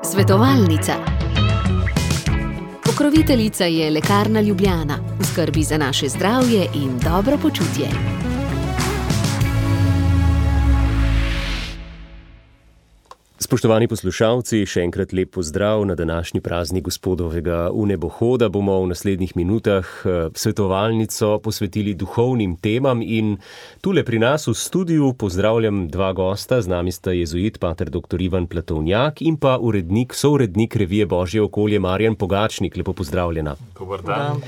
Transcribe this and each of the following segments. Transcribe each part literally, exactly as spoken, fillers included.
Svetovalnica. Pokroviteljica je Lekarna Ljubljana, v skrbi za naše zdravje in dobro počutje. Spoštovani poslušalci, še enkrat lep pozdrav na današnji praznik Gospodovega vnebohoda. Bomo v naslednjih minutah svetovalnico posvetili duhovnim temam in tule pri nas v studiu pozdravljam dva gosta. Z nami sta jezuit pater doktor Ivan Platovnjak in pa urednik, sourednik revije Božje okolje Marjan Pogačnik. Lepo pozdravljena. Dobar dan.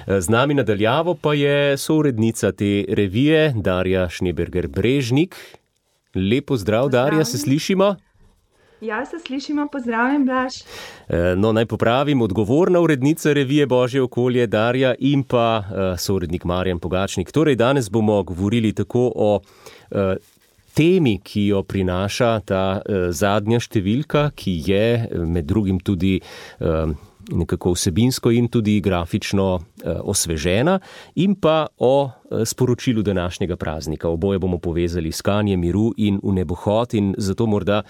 Z nami nadaljavo pa je sourednica te revije Darja Schneeberger Brežnik. Lep pozdrav, Darja, se slišimo? Ja, se slišimo, pozdravljen, Blaž. No, naj popravim, odgovorna urednica revije Božje okolje Darja in pa uh, sourednik Marjan Pogačnik. Torej, danes bomo govorili tako o uh, temi, ki jo prinaša ta uh, zadnja številka, ki je med drugim tudi uh, nekako vsebinsko in tudi grafično uh, osvežena, in pa o uh, sporočilu današnjega praznika. Oboje bomo povezali iskanje miru in vnebohod in zato morda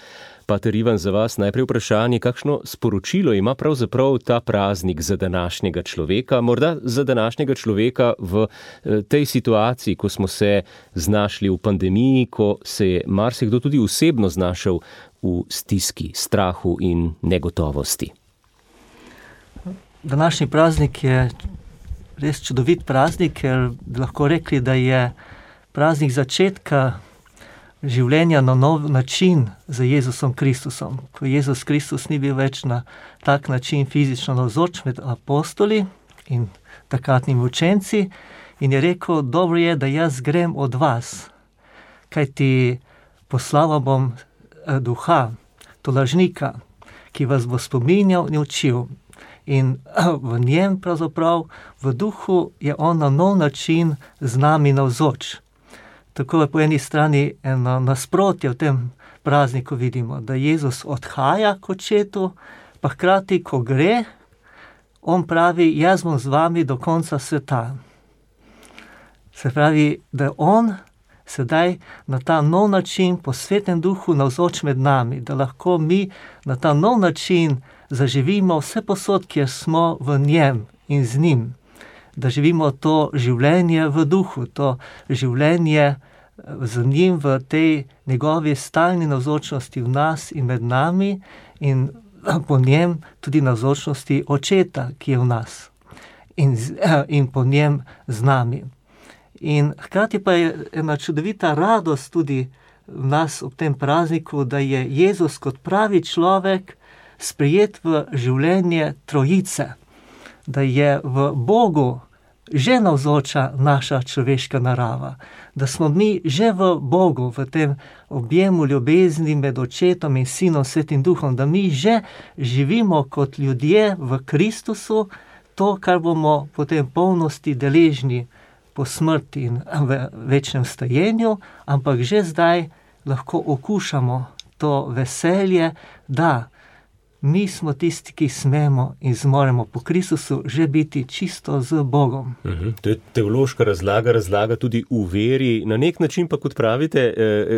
Pater Ivan, za vas najprej vprašanje, kakšno sporočilo ima pravzaprav ta praznik za današnjega človeka, morda za današnjega človeka v tej situaciji, ko smo se znašli v pandemiji, ko se je marsikdo tudi osebno znašel v stiski, strahu in negotovosti. Današnji praznik je res čudovit praznik, ker bi lahko rekli, da je praznik začetka življenja na nov način za Jezusom Kristusom. Ko Jezus Kristus ni bil več na tak način fizično navzoč med apostoli in takratnimi učenci in je rekel, dobro je, da jaz grem od vas, kajti poslal bom duha, tolažnika, ki vas bo spominjal in učil. In v njem pravzaprav, v duhu je on na nov način z nami navzoč. Tako je po eni strani eno nasprotje v tem prazniku vidimo, da Jezus odhaja k očetu, pa hkrati, ko gre, on pravi, jaz bom z vami do konca sveta. Se pravi, da je on sedaj na ta nov način po Svetem duhu navzoč med nami, da lahko mi na ta nov način zaživimo vse posod, kjer smo v njem in z njim. Da živimo to življenje v duhu, to življenje z njim v tej njegovi stalni navzočnosti v nas in med nami in po njem tudi navzočnosti očeta, ki je v nas in, in po njem z nami. In hkrati pa je ena čudovita radost tudi v nas ob tem prazniku, da je Jezus kot pravi človek sprejet v življenje trojice, da je v Bogu že navzoča naša človeška narava, da smo mi že v Bogu, v tem objemu ljubezni med očetom in sinom Svetim duhom, da mi že živimo kot ljudje v Kristusu, to, kar bomo potem polnosti deležni po smrti in v večnem stajenju, ampak že zdaj lahko okušamo to veselje, da mi smo tisti, ki smemo in zmoremo po Kristusu že biti čisto z Bogom. Uhum. To je teološka razlaga, razlaga tudi v veri. Na nek način pa, kot pravite,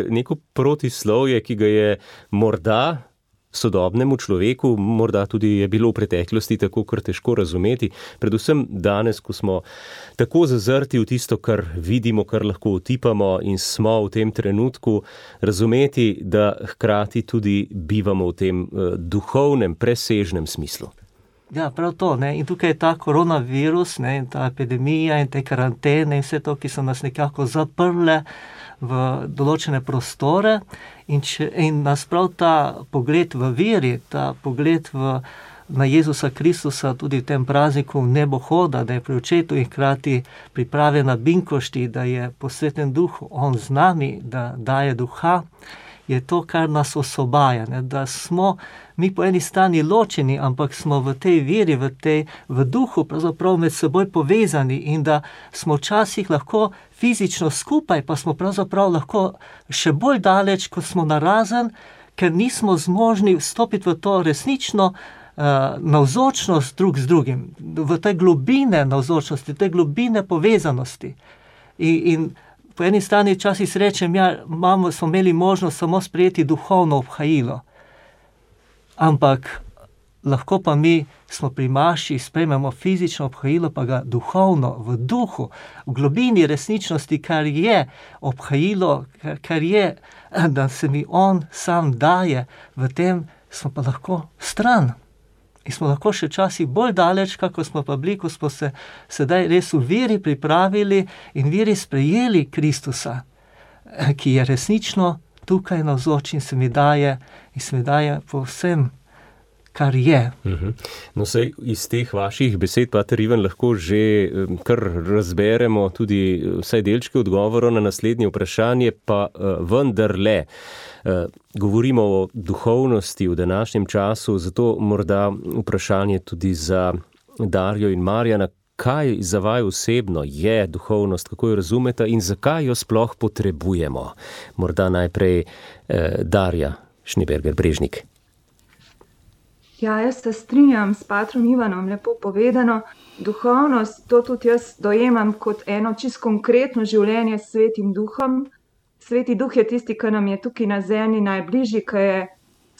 neko protislovje, ki ga je morda sodobnemu človeku, morda tudi je bilo v preteklosti tako kar težko razumeti, predvsem danes, ko smo tako zazrti v tisto, kar vidimo, kar lahko otipamo in smo v tem trenutku, razumeti, da hkrati tudi bivamo v tem uh, duhovnem, presežnem smislu. Ja, prav to, ne? In tukaj je ta koronavirus, ne? In ta epidemija in te karantene in vse to, ki so nas nekako zaprle v določene prostore in, če, in nas prav ta pogled v veri, ta pogled v, na Jezusa Kristusa tudi v tem prazniku vnebohoda, da je pri očetu in hkrati priprave na binkošti, da je po Svetem duhu on z nami, da daje duha, je to, kar nas osobaja, ne? Da smo mi po eni strani ločeni, ampak smo v tej veri, v, tej, v duhu pravzaprav med seboj povezani in da smo včasih lahko fizično skupaj, pa smo pravzaprav lahko še bolj daleč, kot smo narazen, ker nismo zmožni vstopiti v to resnično uh, navzočnost drug z drugim, v te globine navzočnosti, te globine povezanosti. In, in po eni strani včasih srečem, ja, imamo, smo imeli možnost samo sprejeti duhovno obhajilo. Ampak lahko pa mi smo pri maši, sprejmemo fizično obhajilo, pa ga duhovno, v duhu, v globini resničnosti, kar je obhajilo, kar, kar je, da se mi on sam daje, v tem smo pa lahko stran. In smo lahko še časih bolj daleč, kako smo pa bili, ko smo se sedaj res v veri pripravili in veri sprejeli Kristusa, ki je resnično tukaj navzoč in se mi daje, in se mi daje povsem, kar je. Uh-huh. No, sej iz teh vaših besed, pater Ivan, lahko že kar razberemo tudi vsaj delčke odgovorov na naslednje vprašanje, pa uh, vendarle. Uh, govorimo o duhovnosti v današnjem času, zato morda vprašanje tudi za Darjo in Marjana, kaj za vaju osebno je duhovnost, kako jo razumete in zakaj jo sploh potrebujemo? Morda najprej eh, Darja Schneeberger-Brežnik. Ja, jaz se strinjam s patrom Ivanom, lepo povedano. Duhovnost, to tudi jaz dojemam kot eno čisto konkretno življenje s Svetim Duhom. Sveti Duh je tisti, ki nam je tukaj na zemlji najbližji, ki je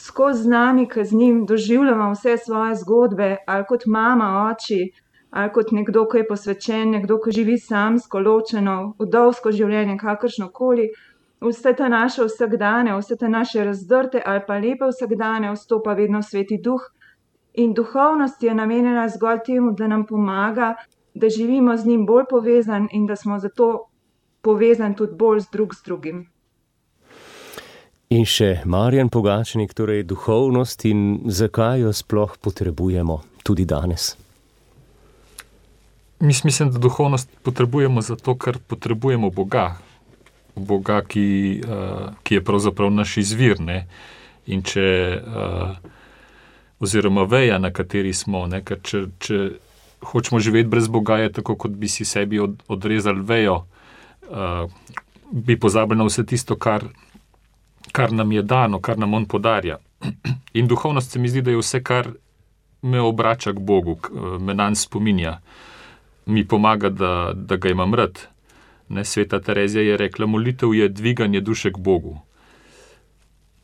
skozi z nami, ki z njim doživljamo vse svoje zgodbe, ali kot mama, oči, ali kot nekdo, ki je posvečen, nekdo, ki živi samsko, ločeno, vdovsko življenje, kakršnokoli. Vse te naše vsakdane, vse te naše razdrte ali pa lepe vsakdane vstopa vedno Sveti Duh. In duhovnost je namenjena zgolj temu, da nam pomaga, da živimo z njim bolj povezan in da smo zato povezan tudi bolj z drug z drugim. In še Marjan Pogačnik, torej duhovnost in zakaj jo sploh potrebujemo tudi danes? Mislim, da duhovnost potrebujemo zato, ker potrebujemo Boga. Boga, ki, uh, ki je pravzaprav naš izvir, ne? In če, uh, oziroma veja, na kateri smo, ne? Ker če, če hočemo živeti brez Boga, je tako, kot bi si sebi od, odrezali vejo, Uh, bi pozabili na vse tisto, kar, kar nam je dano, kar nam on podarja. In duhovnost se mi zdi, da je vse, kar me obrača k Bogu, me nanj spominja, mi pomaga, da, da ga imam rad. Ne, Sveta Terezija je rekla, molitev je dviganje duše k Bogu.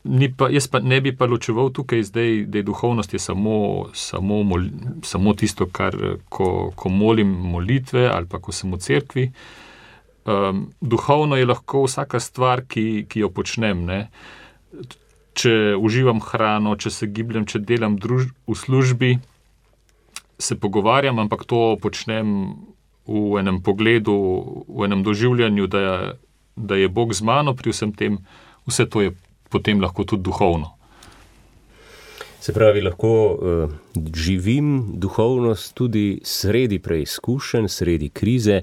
Ni pa, jaz pa ne bi pa ločeval tukaj zdaj, da je duhovnost je samo, samo, mol, samo tisto, kar, ko, ko molim molitve ali pa ko sem v cerkvi. Um, duhovno je lahko vsaka stvar, ki, ki jo počnem. Ne? Če uživam hrano, če se gibljem, če delam druž- v službi, se pogovarjam, ampak to počnem v enem pogledu, v enem doživljanju, da je, da je Bog z mano pri vsem tem, vse to je potem lahko tudi duhovno. Se pravi, lahko uh, živim duhovnost tudi sredi preizkušenj, sredi krize.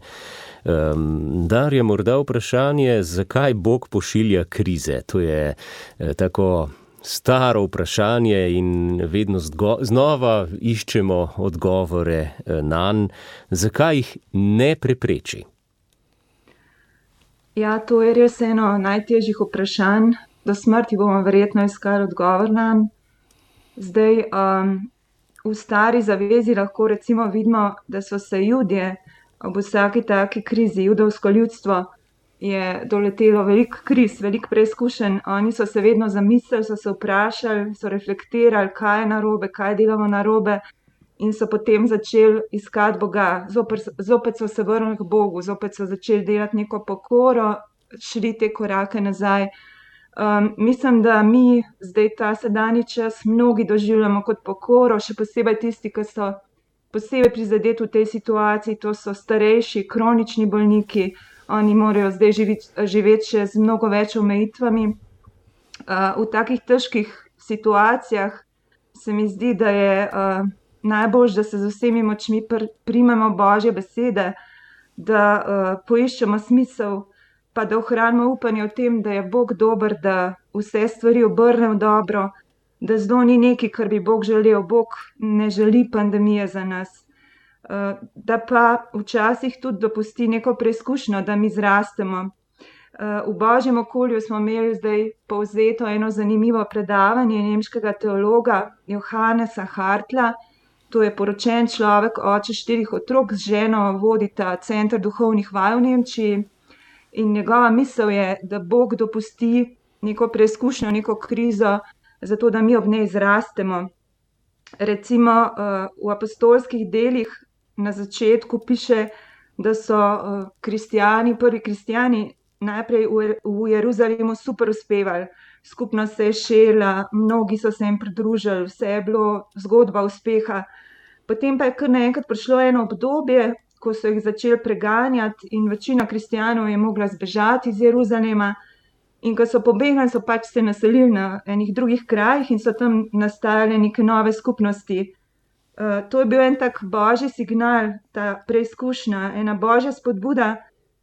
Um, Darja, morda vprašanje, zakaj Bog pošilja krize? To je eh, tako staro vprašanje in vedno zgo- znova iščemo odgovore eh, nanj. Zakaj jih ne prepreči? Ja, to je res eno najtežjih vprašanj. Do smrti bomo verjetno iskali odgovor nanj. Zdaj, um, v stari zavezi lahko recimo vidimo, da so se Judje ob vsaki taki krizi, judovsko ljudstvo je doletelo veliko kriz, veliko preizkušenj. Oni so se vedno zamislili, so se vprašali, so reflektirali, kaj je narobe, kaj delamo narobe in so potem začeli iskati Boga. Zopet, zopet so se vrnili k Bogu, zopet so začeli delati neko pokoro, šli te korake nazaj. Um, mislim, da mi zdaj ta sedanji čas mnogi doživljamo kot pokoro, še posebej tisti, ki so posebej prizadeti v tej situaciji, to so starejši, kronični bolniki, oni morajo zdaj živeti, živeti še z mnogo več omejitvami. Uh, v takih težkih situacijah se mi zdi, da je uh, najbolj, da se z vsemi močmi pr- primemo Božje besede, da uh, poiščemo smisel, pa da ohranimo upanje o tem, da je Bog dober, da vse stvari obrne v dobro, da zdo ni nekaj, kar bi Bog želel. Bog ne želi pandemije za nas. Da pa včasih tudi dopusti neko preizkušnjo, da mi zrastemo. V Božjem okolju smo imeli zdaj povzeto eno zanimivo predavanje nemškega teologa Johannesa Hartla. To je poročen človek, oče štirih otrok, z ženo vodita Center duhovnih vaj v Nemčiji. In njegova misel je, da Bog dopusti neko preizkušnjo, neko krizo, zato da mi ob njej zrastemo. Recimo v apostolskih delih na začetku piše, da so kristijani, prvi kristijani najprej v Jeruzalemu super uspevali. Skupno se je šela, mnogi so se jim pridružili, vse je bilo zgodba uspeha. Potem pa je kar naenkrat prišlo eno obdobje, ko so jih začeli preganjati in večina kristjanov je mogla zbežati iz Jeruzalema. In ko so pobegnili, so pač se naselili na enih drugih krajih in so tam nastajale neke nove skupnosti. Uh, to je bil en tak božji signal, ta preizkušnja, ena božja spodbuda.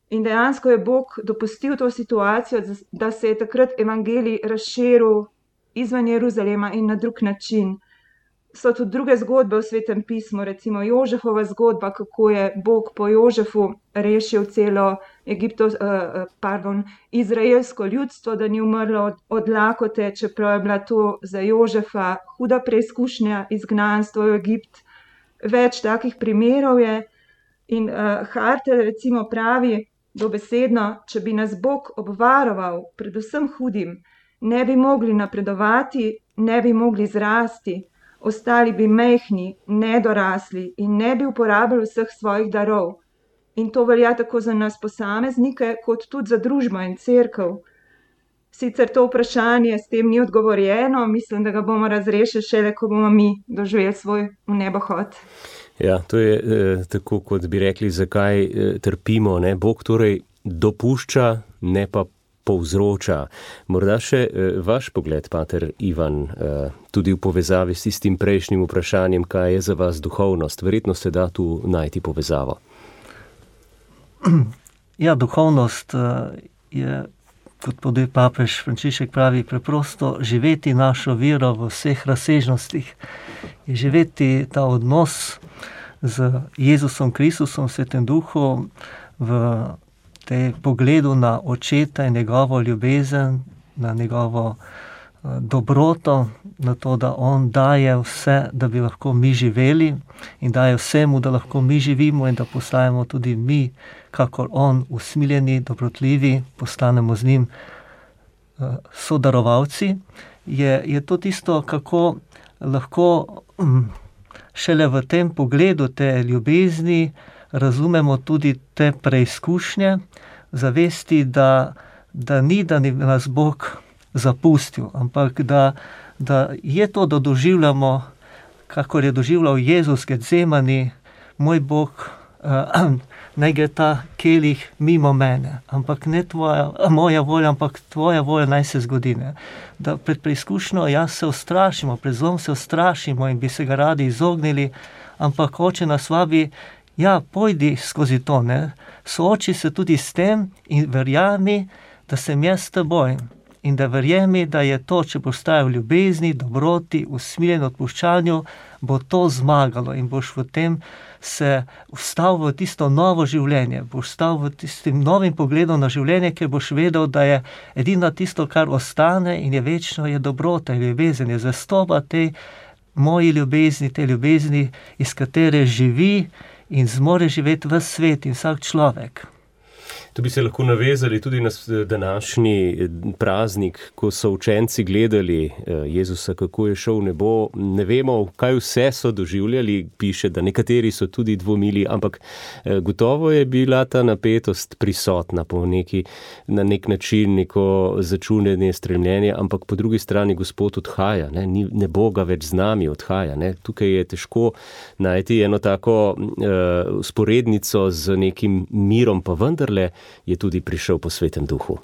In dejansko je Bog dopustil to situacijo, da se je takrat evangelij razširil izven Jeruzalema in na drug način. So tudi druge zgodbe v Svetem pismu, recimo Jožefova zgodba, kako je Bog po Jožefu rešil celo Egipto, pardon, izraelsko ljudstvo, da ni umrlo od, od lakote, čeprav je bila to za Jožefa huda preizkušnja, izgnanstvo v Egipt. Več takih primerov je. In uh, Hartelj recimo pravi dobesedno, če bi nas Bog obvaroval pred vsem hudim, ne bi mogli napredovati, ne bi mogli zrasti, ostali bi mehni, nedorasli in ne bi uporabili vseh svojih darov. In to velja tako za nas posameznike, kot tudi za družbo in cerkev. Sicer to vprašanje s tem ni odgovorjeno, mislim, da ga bomo razrešili šele, ko bomo mi doživeli svoj nebohod. Ja, to je eh, tako, kot bi rekli, zakaj eh, trpimo. Ne? Bog torej dopušča, ne pa povzroča. Morda še eh, vaš pogled, pater Ivan, eh, tudi v povezavi s tistim prejšnjim vprašanjem, kaj je za vas duhovnost. Verjetno se da tu najti povezavo. Ja, duhovnost eh, je, kot tudi papež Frančišek pravi, preprosto živeti našo vero v vseh razsežnostih. Je živeti ta odnos z Jezusom Kristusom, Svetem Duhu, v tej pogledu na Očeta in njegovo ljubezen, na njegovo dobroto, na to, da on daje vse, da bi lahko mi živeli in daje vsemu, da lahko mi živimo in da postajamo tudi mi, kakor on, usmiljeni, dobrotljivi, postanemo z njim sodarovalci. Je, je to tisto, kako lahko šele v tem pogledu te ljubezni razumemo tudi te preizkušnje, zavesti, da, da ni, da ni nas Bog zapustil, ampak da, da je to, da doživljamo, kakor je doživljal Jezus Getsemani, moj Bog, uh, naj gre ta kelih mimo mene, ampak ne tvoja, moja volja, ampak tvoja volja naj se zgodi. Ne? Da pred preizkušnjo jaz se ustrašimo, pred zlom se ustrašimo in bi se ga radi izognili, ampak Oče nas vabi, ja, pojdi skozi to, ne? Sooči se tudi s tem in verjami, da sem jaz s teboj. In da verjemi, da je to, če boš stajal v ljubezni, dobroti, usmiljen odpuščanju, bo to zmagalo in boš v tem se vstal v tisto novo življenje, boš vstal v tistim novim pogledom na življenje, ker boš vedel, da je edino tisto, kar ostane in je večno, je dobrota in ljubezen, je zvestoba tej moji ljubezni, tej ljubezni, iz katere živi in zmore živeti ves svet in vsak človek. Tu bi se lahko navezali tudi na današnji praznik, ko so učenci gledali Jezusa, kako je šel v nebo. Ne vemo, kaj vse so doživljali, piše, da nekateri so tudi dvomili, ampak gotovo je bila ta napetost prisotna po neki, na nek način, neko začunjenje, stremljenje, ampak po drugi strani Gospod odhaja, ne, ne bo ga več z nami, odhaja. Ne. Tukaj je težko najti eno tako uh, sporednico z nekim mirom, pa vendarle je tudi prišel po Svetem Duhu.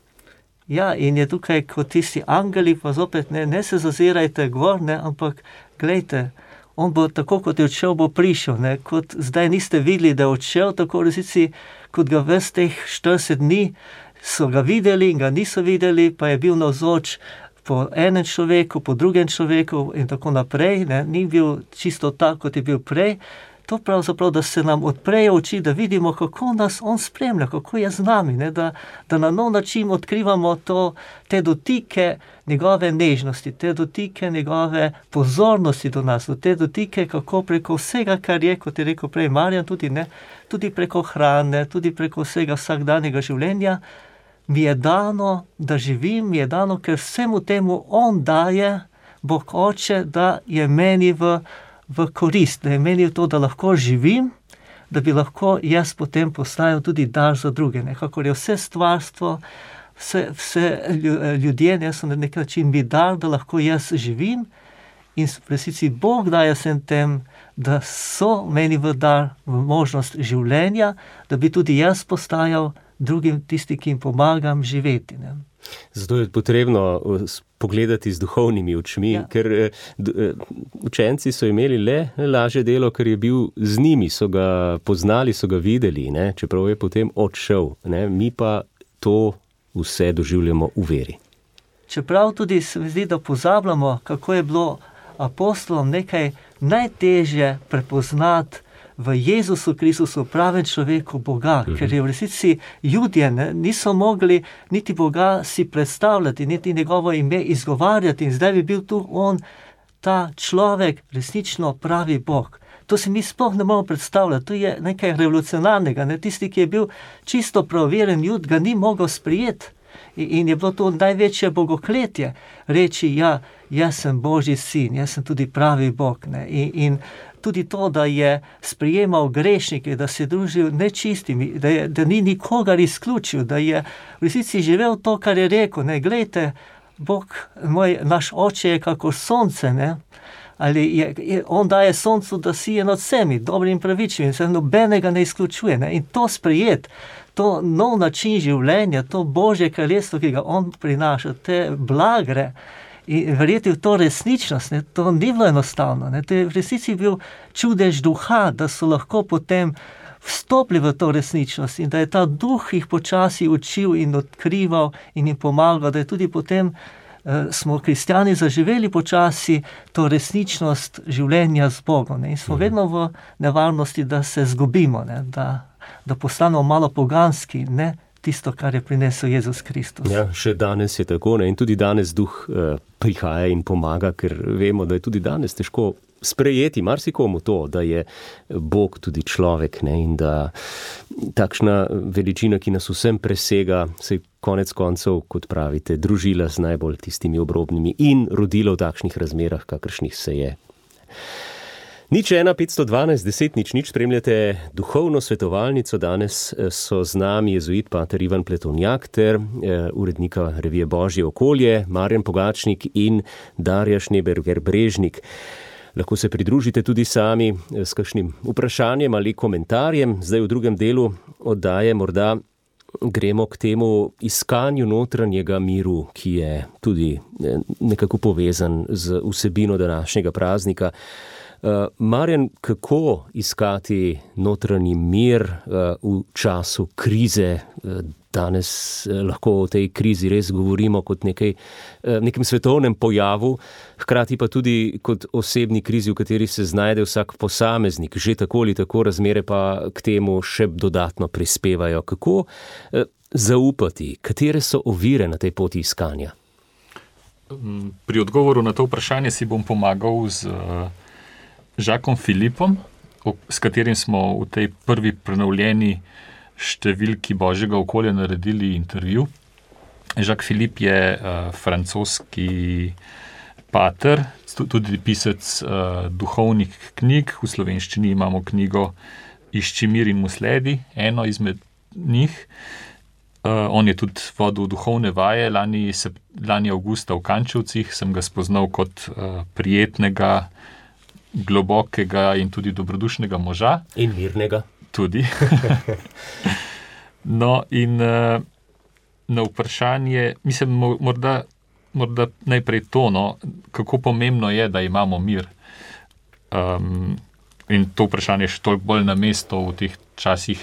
Ja, in je tukaj kot tisti angeli, pa zopet ne, ne se zazirajte gor, ne, ampak glejte, on bo tako, kot je odšel, bo prišel, ne, kot zdaj niste videli, da je odšel, tako resnici, kot ga ves teh štirideset dni so ga videli in ga niso videli, pa je bil navzoč po enem človeku, po drugem človeku in tako naprej, ne, ni bil čisto tak, kot je bil prej. To pravzaprav, da se nam odprejo oči, da vidimo, kako nas on spremlja, kako je z nami, ne? Da, da na nov način odkrivamo to, te dotike njegove nežnosti, te dotike njegove pozornosti do nas, te dotike, kako preko vsega, kar je, kot je rekel prej Marjan, tudi, ne, tudi preko hrane, tudi preko vsega vsakdanjega življenja, mi je dano, da živim, mi je dano, ker vsemu temu on daje, Bog Oče, da je meni v, v korist, da je meni v to, da lahko živim, da bi lahko jaz potem postajal tudi dar za druge. Nekako je vse stvarstvo, vse, vse ljudje, ne, so na nek način mi dar, da lahko jaz živim, in v resnici Bog daje vsem tem, da so meni v dar, v možnost življenja, da bi tudi jaz postajal drugim tisti, ki jim pomagam živeti. Ne. Zato je potrebno pogledati z duhovnimi očmi, ja. Ker učenci so imeli le lažje delo, ker je bil z njimi, so ga poznali, so ga videli, ne, čeprav je potem odšel. Ne, mi pa to vse doživljamo v veri. Čeprav tudi se mi zdi, da pozabljamo, kako je bilo apostolom nekaj najtežje prepoznati v Jezusu Kristusu, pravem človeku, Boga, mhm. ker je v resnici Judje ne, niso mogli niti Boga si predstavljati, niti njegovo ime izgovarjati, in zdaj bi bil tu on, ta človek, resnično pravi Bog. To si mi sploh ne moramo predstavljati, to je nekaj revolucionarnega, ne? Tisti, ki je bil čisto pravoveren Jud, ga ni mogel sprijeti. In je bilo to največje bogokletje, reči, ja, jaz sem Božji sin, jaz sem tudi pravi Bog. Ne? In, in tudi to, da je sprijemal grešnike, da se je družil nečistimi, da, je, da ni nikogar izključil, da je v resnici živel to, kar je rekel. Ne? Glejte, Bog, moj, naš oče je kako sonce, ne? Ali je, je, on daje soncu, da sije nad vsemi, dobrim in pravičnim, in se nobenega ne izključuje. Ne? In to sprijet, to nov način življenja, to Božje kraljestvo, ki ga on prinaša, te blagre, in verjeti v to resničnost, ne, to ni bilo enostavno. Ne, to je v resnici bil čudež duha, da so lahko potem vstopili v to resničnost in da je ta duh jih počasi učil in odkrival in jim pomagal, da je tudi potem eh, smo kristjani zaživeli počasi to resničnost življenja z Bogom. Ne, in smo vedno v nevarnosti, da se zgubimo, ne, da da postanemo malo poganski, ne tisto, kar je prinesel Jezus Kristus. Ja, še danes je tako, ne? In tudi danes duh eh, prihaja in pomaga, ker vemo, da je tudi danes težko sprejeti marsikomu to, da je Bog tudi človek, ne? In da takšna veličina, ki nas vsem presega, se konec koncev, kot pravite, družila z najbolj tistimi obrobnimi in rodila v takšnih razmerah, kakršnih se je. Nič ena, petsto dvanajst, deset, nič, nič, spremljate duhovno svetovalnico. Danes so z nami jezuit pater Ivan Pletovnjak ter eh, urednika revije Božje okolje, Marjan Pogačnik in Darja Šneberger-Brežnik. Lahko se pridružite tudi sami s kakšnim vprašanjem ali komentarjem. Zdaj v drugem delu oddaje morda gremo k temu iskanju notranjega miru, ki je tudi nekako povezan z vsebino današnjega praznika. Uh, Marjan, kako iskati notranji mir uh, v času krize? Uh, danes uh, lahko o tej krizi res govorimo kot nekaj, uh, nekem svetovnem pojavu, hkrati pa tudi kot osebni krizi, v kateri se znajde vsak posameznik. Že tako ali tako razmere pa k temu še dodatno prispevajo. Kako uh, zaupati? Katere so ovire na tej poti iskanja? Pri odgovoru na to vprašanje si bom pomagal z uh... Žakom Filipom, s katerim smo v tej prvi prenovljeni številki Božjega okolja naredili intervju. Žak Filip je uh, francoski pater, tudi pisec uh, duhovnih knjig. V slovenščini imamo knjigo Išči mir in mu sledi, eno izmed njih. Uh, on je tudi vodil duhovne vaje. Lani, se, lani avgusta v Kančevcih sem ga spoznal kot uh, prijetnega, globokega in tudi dobrodušnega moža. In mirnega. Tudi. No, in uh, na vprašanje, mislim, morda, morda najprej to, no, kako pomembno je, da imamo mir. Um, in to vprašanje je še toliko bolj na mesto v teh časih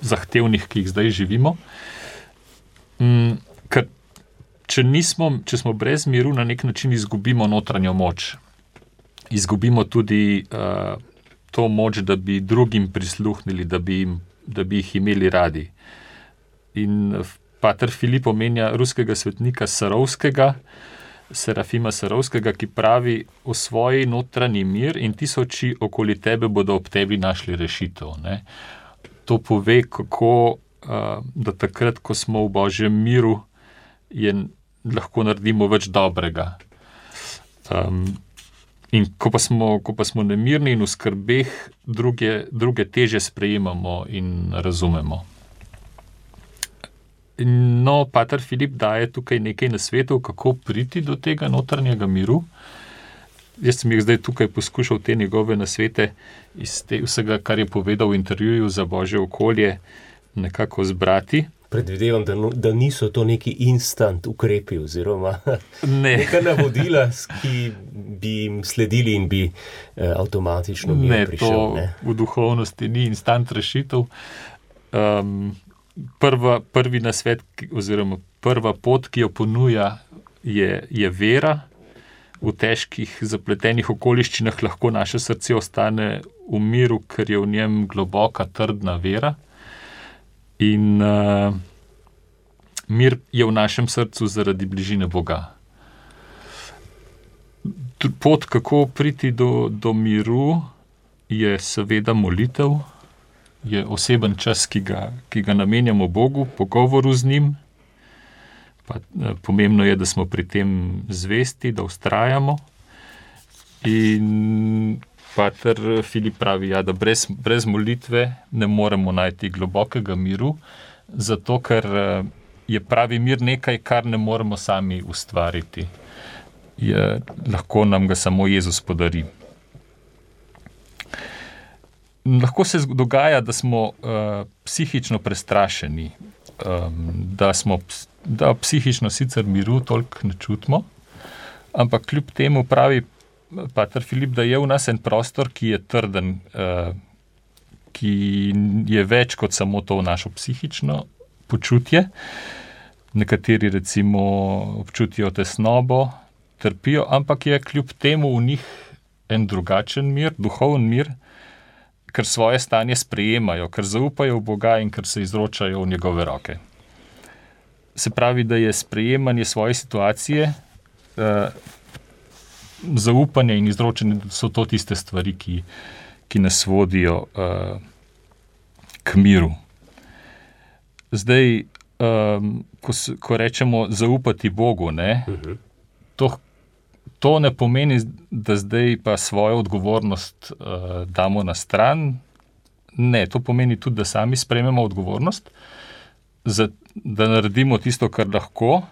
zahtevnih, ki jih zdaj živimo. Um, ker če nismo, če smo brez miru, na nek način izgubimo notranjo moč. Izgubimo tudi uh, to moč, da bi drugim prisluhnili, da bi, jim, da bi jih imeli radi. In pater Filip omenja ruskega svetnika Sarovskega, Serafima Sarovskega, ki pravi: o svoji notranji mir in tisoči okoli tebe bodo ob tebi našli rešitev. Ne? To pove, kako da takrat, ko smo v Božjem miru, je, lahko naredimo več dobrega. Um, in ko pa, smo, ko pa smo nemirni in v skrbeh, druge, druge teže sprejemamo in razumemo. No, pater Filip daje tukaj nekaj nasvetov, kako priti do tega notranjega miru. Jaz sem jih zdaj tukaj poskušal te njegove nasvete iz te, vsega, kar je povedal v intervjuju za Božje okolje, nekako zbrati. Predvidevam, da, no, da niso to neki instant ukrepi oziroma ne. neka navodila, ki bi jim sledili in bi eh, avtomatično mir ne, prišel. To ne, to v duhovnosti ni instant rešitev. Um, prva, prvi nasvet oziroma prva pot, ki jo ponuja, je, je vera. V težkih, zapletenih okoliščinah lahko naše srce ostane v miru, ker je v njem globoka, trdna vera. In uh, mir je v našem srcu zaradi bližine Boga. Pot, kako priti do, do miru, je seveda molitev, je oseben čas, ki ga, ki ga namenjamo Bogu, pogovoru z njim. Pa, pomembno je, da smo pri tem zvesti, da vztrajamo. In pater Filip pravi, ja, da brez, brez molitve ne moremo najti globokega miru, zato ker je pravi mir nekaj, kar ne moremo sami ustvariti. Je, lahko nam ga samo Jezus podari. Lahko se dogaja, da smo uh, psihično prestrašeni, um, da smo da psihično sicer miru toliko ne čutimo, ampak kljub temu pravi pater Filip, da je v nas en prostor, ki je trden, uh, ki je več kot samo to našo psihično počutje. Nekateri recimo občutijo tesnobo, trpijo, ampak je kljub temu v njih en drugačen mir, duhoven mir, ker svoje stanje sprejemajo, ker zaupajo v Boga in ker se izročajo v njegove roke. Se pravi, da je sprejemanje svoje situacije, eh, zaupanje in izročanje, so to tiste stvari, ki, ki nas vodijo eh, k miru. Zdaj, eh, ko, ko rečemo zaupati Bogu, ne, uh-huh. to, to ne pomeni, da zdaj pa svojo odgovornost eh, damo na stran. Ne, to pomeni tudi, da sami sprejmemo odgovornost, za, da naredimo tisto, kar lahko,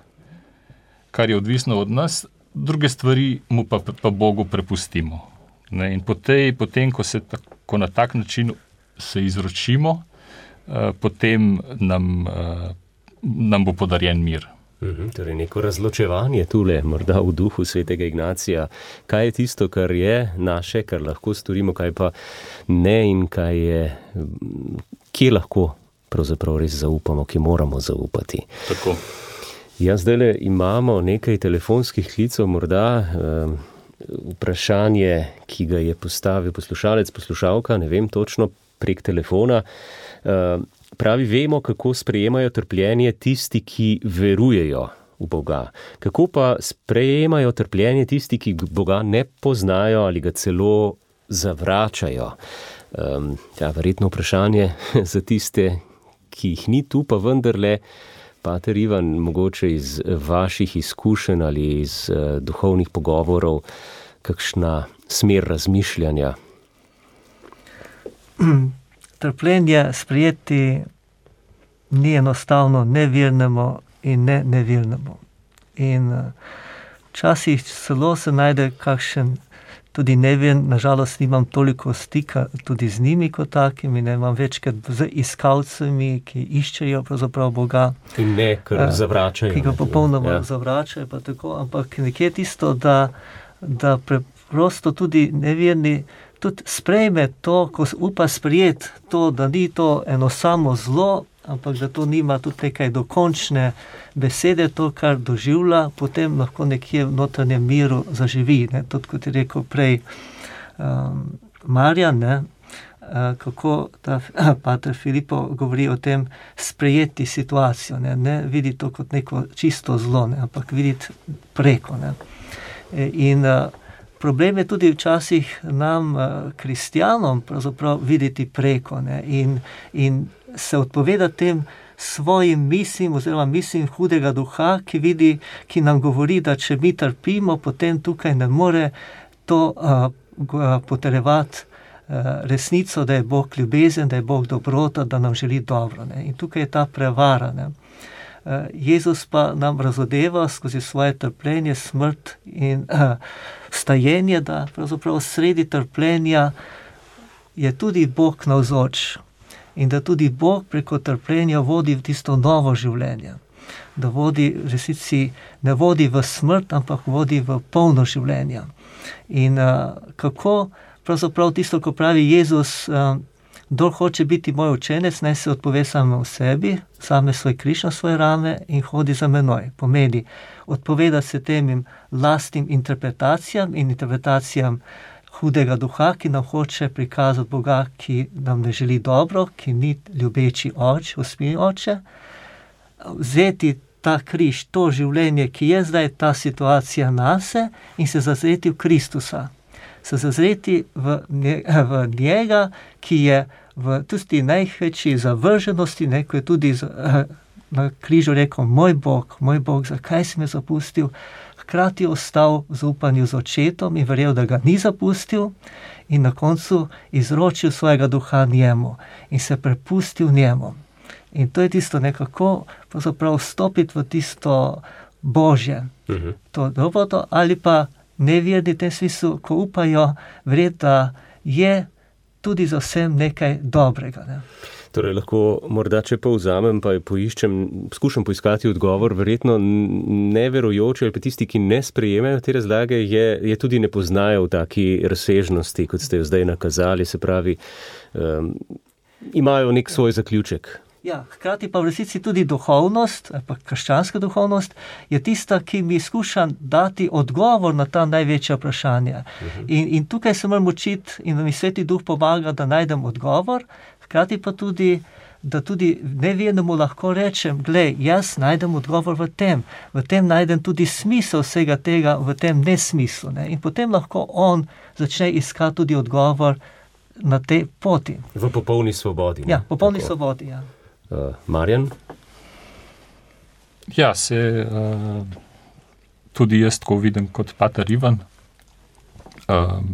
kar je odvisno od nas, druge stvari mu pa, pa Bogu prepustimo. Ne? In po tej, potem, ko se tako, na tak način se izročimo, eh, potem nam, eh, nam bo podarjen mir. Mhm, torej neko razločevanje tule, morda v duhu svetega Ignacija. Kaj je tisto, kar je naše, kar lahko storimo, kaj pa ne in kaj je, kje lahko pravzaprav res zaupamo, ki moramo zaupati. Tako. Ja, zdajle imamo nekaj telefonskih klicev, morda um, vprašanje, ki ga je postavil poslušalec, poslušalka, ne vem točno, prek telefona. Um, pravi, vemo, kako sprejemajo trpljenje tisti, ki verujejo v Boga. Kako pa sprejemajo trpljenje tisti, ki Boga ne poznajo ali ga celo zavračajo? Um, ja, verjetno vprašanje za tiste, ki jih ni tu, pa vendarle, pater Ivan, mogoče iz vaših izkušenj ali iz uh, duhovnih pogovorov, kakšna smer razmišljanja? Trpljenje sprejeti ni enostavno nevernemu in ne nevernemu. In včasih uh, celo se najde kakšen tudi nevern, nažalost nimam toliko stika tudi z njimi kot takimi, ne imam večkrat z iskalcami, ki iščejo pravzaprav Boga. In ne, ker zavračajo. Ki ga popolnoma ja. zavračajo, pa tako, ampak nekje tisto, da, da preprosto tudi neverni tudi sprejme to, ko upa sprejeti to, da ni to eno samo zlo, ampak da to nima tudi nekaj dokončne besede, to, kar doživlja, potem lahko nekje v notranjem miru zaživi. Ne? Tudi, kot je rekel prej um, Marjan, ne? Uh, kako ta pater Filipo govori o tem sprejeti situacijo, ne, ne videti to kot neko čisto zlo, ne? Ampak videti preko. Ne? In uh, problem je tudi včasih nam, uh, kristjanom, pravzaprav videti preko, ne? In, in se odpoveda tem svojim mislim oziroma mislim hudega duha, ki vidi, ki nam govori, da če mi trpimo, potem tukaj ne more to uh, potrjevati uh, resnico, da je Bog ljubezen, da je Bog dobrota, da nam želi dobro. Ne? In tukaj je ta prevara. Ne? Uh, Jezus pa nam razodeva skozi svoje trpljenje, smrt in uh, vstajenje, da pravzaprav sredi trpljenja je tudi Bog navzoč. In da tudi Bog preko trpljenja vodi v tisto novo življenje. Da vodi, v resnici ne vodi v smrt, ampak vodi v polno življenje. In uh, kako pravzaprav tisto, ko pravi Jezus, uh, kdor hoče biti moj učenec, naj se odpove samo v sebi, same svoj križ na svoje rame in hodi za menoj. Pomeni, odpoveda se temim lastnim interpretacijam in interpretacijam hudega duha, ki nam hoče prikazati Boga, ki nam ne želi dobro, ki ni ljubeči oče, usmiljen oče, vzeti ta križ, to življenje, ki je zdaj ta situacija nase in se zazreti v Kristusa. Se zazreti v, nje, v njega, ki je v tudi največji zavrženosti, ne, ko je tudi na križu rekel, moj Bog, moj Bog, zakaj si me zapustil? Hkrati ostal v zaupanju z očetom in verjel, da ga ni zapustil in na koncu izročil svojega duha njemu in se prepustil njemu. In to je tisto nekako pravzaprav vstopiti v tisto Božje, uh-huh. to dobro, ali pa neverni v tem smislu, ko upajo verjeti, da je tudi za vsem nekaj dobrega. Ne? Torej, lahko morda, če povzamem, pa poiščem, skušam poiskati odgovor, verjetno neverujoči ali pa tisti, ki ne sprejemajo te razlage, je, je tudi ne poznajo v taki razsežnosti, kot ste jo zdaj nakazali, se pravi, um, imajo nek svoj zaključek. Ja, hkrati pa v resnici tudi duhovnost, pa krščanska duhovnost, je tista, ki mi skuša dati odgovor na ta največja vprašanja. Uh-huh. In, in tukaj se moram učiti in mi Sveti Duh pomaga, da najdem odgovor, hkrati pa tudi, da tudi nevernemu lahko rečem, glej, jaz najdem odgovor v tem, v tem najdem tudi smisel vsega tega, v tem nesmislu. Ne? In potem lahko on začne iskati tudi odgovor na tej poti. V popolni svobodi. Ne? Ja, popolni Tako. svobodi, ja. Uh, Marjan? Ja, se uh, tudi jaz tako vidim kot pater Ivan. Uh,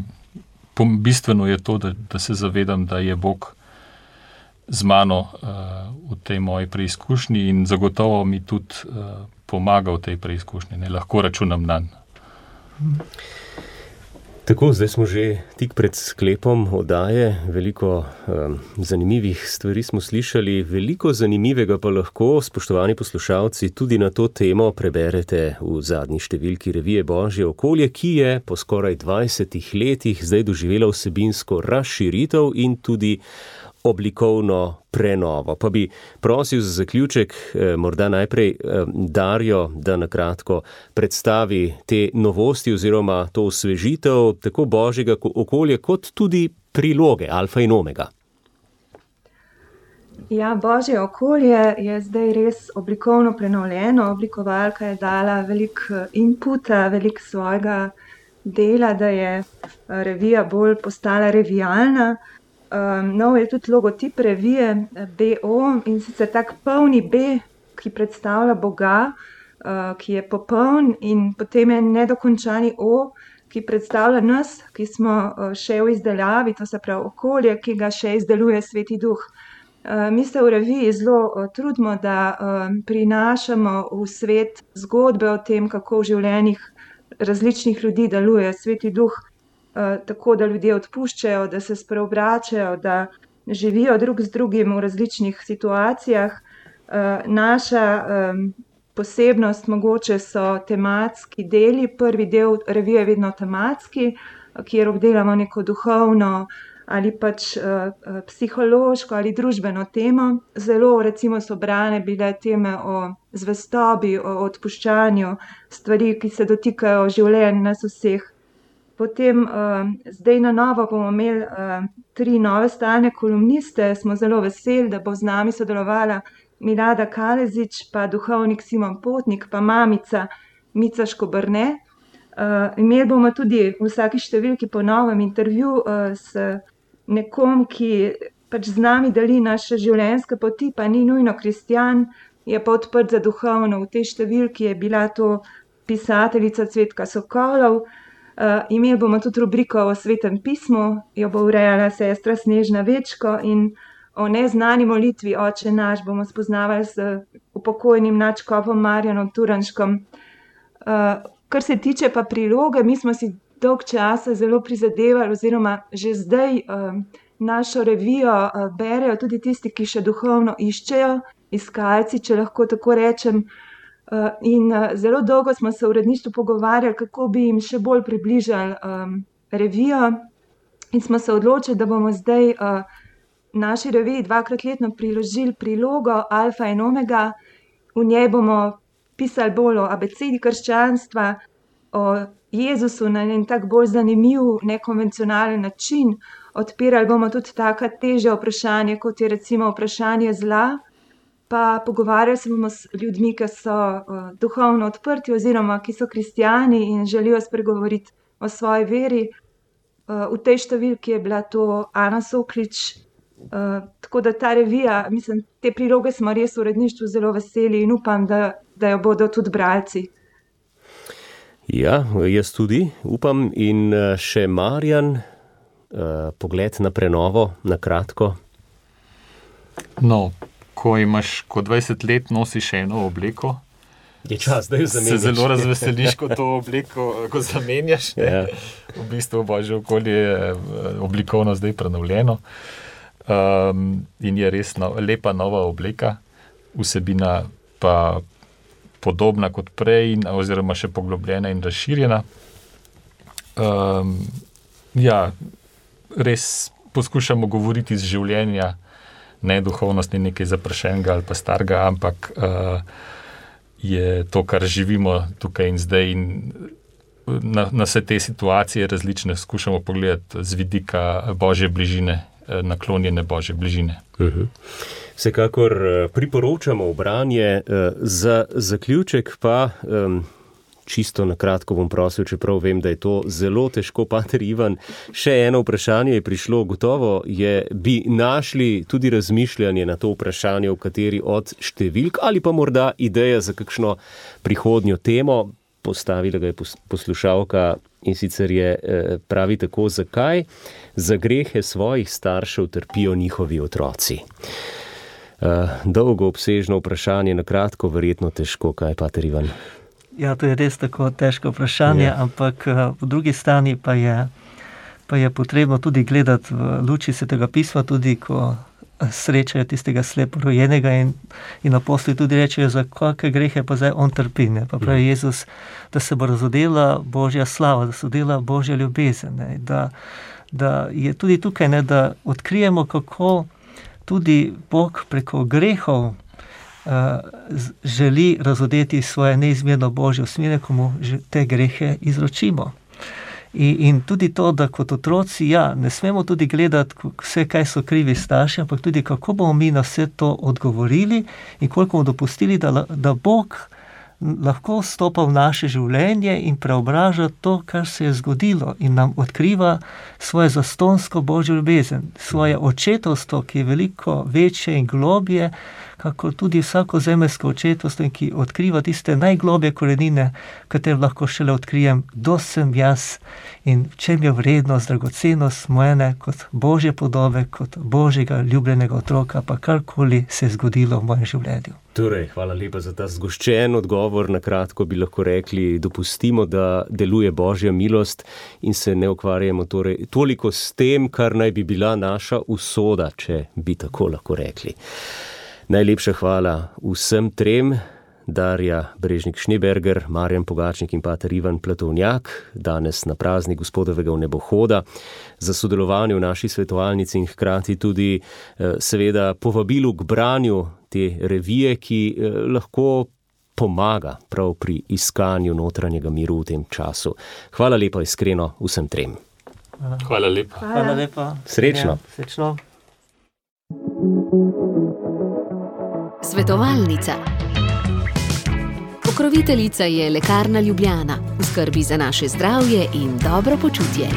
bistveno je to, da, da se zavedam, da je Bog z mano uh, v tej moji preizkušnji in zagotovo mi tudi uh, pomaga v tej preizkušnji. Ne lahko računam nanj. Tako, zdaj smo že tik pred sklepom oddaje, veliko um, zanimivih stvari smo slišali, veliko zanimivega pa lahko, spoštovani poslušalci, tudi na to temo preberete v zadnji številki revije Božje okolje, ki je po skoraj dvajsetih letih zdaj doživela vsebinsko razširitev in tudi oblikovno prenovo. Pa bi prosil za zaključek eh, morda najprej eh, Darjo, da nakratko predstavi te novosti oziroma to osvežitev tako Božjega okolja kot tudi priloge Alfa in Omega. Ja, Božje okolje je zdaj res oblikovno prenovljeno. Oblikovalka je dala veliko inputa, veliko svojega dela, da je revija bolj postala revijalna. Um, nov je tudi logotip revije B O in sicer tak polni B, ki predstavlja Boga, uh, ki je popoln, in potem je nedokončani O, ki predstavlja nas, ki smo uh, še v izdelavi, to se pravi okolje, ki ga še izdeluje Sveti Duh. Uh, mi se v reviji zelo uh, trudimo, da uh, prinašamo v svet zgodbe o tem, kako v življenjih različnih ljudi deluje Sveti Duh. Uh, tako da ljudje odpuščajo, da se spreobračajo, da živijo drug z drugim v različnih situacijah. Uh, naša um, posebnost mogoče so tematski deli. Prvi del revije je vedno tematski, kjer obdelamo neko duhovno ali pač uh, psihološko ali družbeno temo. Zelo recimo so brane bile teme o zvestobi, o odpuščanju, stvari, ki se dotikajo življenj nas vseh. Potem uh, zdaj na novo bomo imeli uh, tri nove stalne kolumniste. Smo zelo veseli, da bo z nami sodelovala Milada Kalezič, pa duhovnik Simon Potnik, pa mamica Mica Škobrne. Uh, imeli bomo tudi v vsaki številki po novem intervju uh, s nekom, ki pač z nami deli naše življenjske poti, pa ni nujno kristjan, je pa odprt za duhovno. V tej številki je bila to pisateljica Cvetka Sokolov. Uh, imeli bomo tudi rubriko o Svetem pismu, jo bo urejala sestra Snežna Večko, in o neznani molitvi Oče naš bomo spoznavali z upokojnim nadškofom Marjanom Turnškom. Uh, kar se tiče pa priloge, mi smo si dolg časa zelo prizadevali, oziroma že zdaj uh, našo revijo uh, berejo tudi tisti, ki še duhovno iščejo, iskalci, če lahko tako rečem. Uh, in uh, zelo dolgo smo se v uredništvu pogovarjali, kako bi jim še bolj približali um, revijo, in smo se odločili, da bomo zdaj uh, naši reviji dvakrat letno priložili prilogo Alfa in Omega. V njej bomo pisali bolj o abecedi krščanstva, o Jezusu na en tak bolj zanimiv, nekonvencionalen način. Odpirali bomo tudi taka težja vprašanja, kot je recimo vprašanje zla, pa pogovarjali se bomo s ljudmi, ki so uh, duhovno odprti oziroma ki so kristjani in želijo spregovoriti o svoji veri. Uh, v tej številki je bila to Ana Soklič. Uh, tako da ta revija, mislim, te priloge smo res v uredništvu zelo veseli in upam, da, da jo bodo tudi bralci. Ja, jaz tudi upam. In še Marjan, uh, pogled na prenovo, na kratko. No, ko imaš kot dvajset let nosiš eno obleko, je čas, da jo zamenjaš. Se zelo razveseliš, ko to obleko ko zamenjaš. Ja. V bistvu Božje okolje je oblikovno zdaj prenovljeno. Um, in je res no, lepa nova obleka, vsebina pa podobna kot prej, oziroma še poglobljena in razširjena. Um, ja, res poskušamo govoriti iz življenja, ne duhovnost, ni nekaj zaprašenega ali pa starega, ampak uh, je to, kar živimo tukaj in zdaj, in na, na vse te situacije različne skušamo pogledati z vidika Božje bližine, naklonjene Božje bližine. Uh-huh. Vsekakor priporočamo branje. Za zaključek pa um, čisto na kratko bom prosil, čeprav vem, da je to zelo težko, pater Ivan. Še eno vprašanje je prišlo, gotovo je, bi našli tudi razmišljanje na to vprašanje, v kateri od številk ali pa morda ideja za kakšno prihodnjo temo. Postavila ga je poslušalka in sicer je pravi tako, zakaj za grehe svojih staršev trpijo njihovi otroci. Dolgo obsežno vprašanje, na kratko verjetno težko, kaj pater Ivan? Ja, to je res tako težko vprašanje, yeah. ampak po drugi strani pa je, pa je potrebno tudi gledati v luči Svetega pisma, tudi ko srečajo tistega sleporojenega in, in apostoli tudi rečejo, za kakšne grehe pa zdaj on trpi. Ne? Pa pravi Jezus, da se bo razodela Božja slava, da se odela Božja ljubezen. Ne? Da, da je tudi tukaj, ne, da odkrijemo, kako tudi Bog preko grehov želi razodeti svoje neizmerno Božje usmjerje, ko mu te grehe izročimo. In, in tudi to, da kot otroci, ja, ne smemo tudi gledati vse, kaj so krivi starši, ampak tudi kako bomo mi na vse to odgovorili in koliko bomo dopustili, da, da Bog lahko vstopa v naše življenje in preobraža to, kar se je zgodilo in nam odkriva svoje zastonsko Božjo ljubezen, svoje očetovstvo, ki je veliko večje in globje, kako tudi vsako zemeljsko očetovstvo, ki odkriva tiste najglobje korenine, katere lahko šele odkrijem, kdo sem jaz in v čem je vrednost, dragocenost mojene kot Božje podobe, kot Božjega ljubljenega otroka, pa karkoli se je zgodilo v mojem življenju. Torej, hvala lepa za ta zgoščen odgovor. Na kratko bi lahko rekli, dopustimo, da deluje Božja milost in se ne ukvarjamo torej toliko s tem, kar naj bi bila naša usoda, če bi tako lahko rekli. Najlepša hvala vsem trem, Darja Brežnik-Schneeberger, Marjan Pogačnik in pater Ivan Platovnjak, danes na praznik Gospodovega vnebohoda, za sodelovanje v naši svetovalnici in hkrati tudi seveda povabilu k branju te revije, ki lahko pomaga prav pri iskanju notranjega miru v tem času. Hvala lepa iskreno vsem trem. Hvala, Hvala lepa. Hvala, Hvala lepa. Srečno. Ja, srečno. Svetovalnica. Pokroviteljica je Lekarna Ljubljana, v skrbi za naše zdravje in dobro počutje.